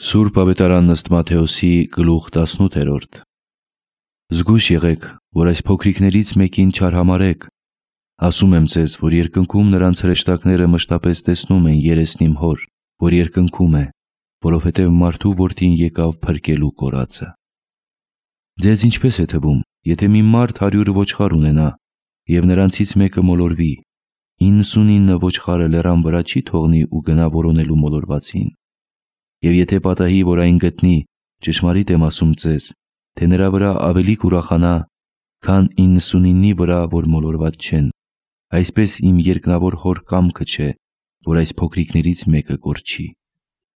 Սուրբ Ավետարան ըստ Մատթեոսի գլուխ 18: Զգույշ եղեք, որ այս փոքրիկներից մեկին չարհամարհեք. ասում եմ ձեզ, որ երկնքում նրանց հրեշտակները մշտապես տեսնում են երեսն իմ հոր, որ երկնքում է, որովհետև մարդու որդին եկավ փրկելու կորածը։ Ձեզ ինչպես է թվում, եթե մի մարդ 100 ոչխար ունենա, և նրանցից մեկը մոլորվի, 99 ոչխարը լեռան վրա չի թողնի ու գնա որոնելու մոլորվածին։ Եվ եթե պատահի, որ այն գտնի, ճշմարիտ եմ ասում ձեզ, թե նրա վրա ավելի կուրախանա, քան 99-ի վրա, որ մոլորված չեն, այսպես իմ երկնավոր հոր կամքը չէ, որ այս փոքրիկներից մեկը կորչի։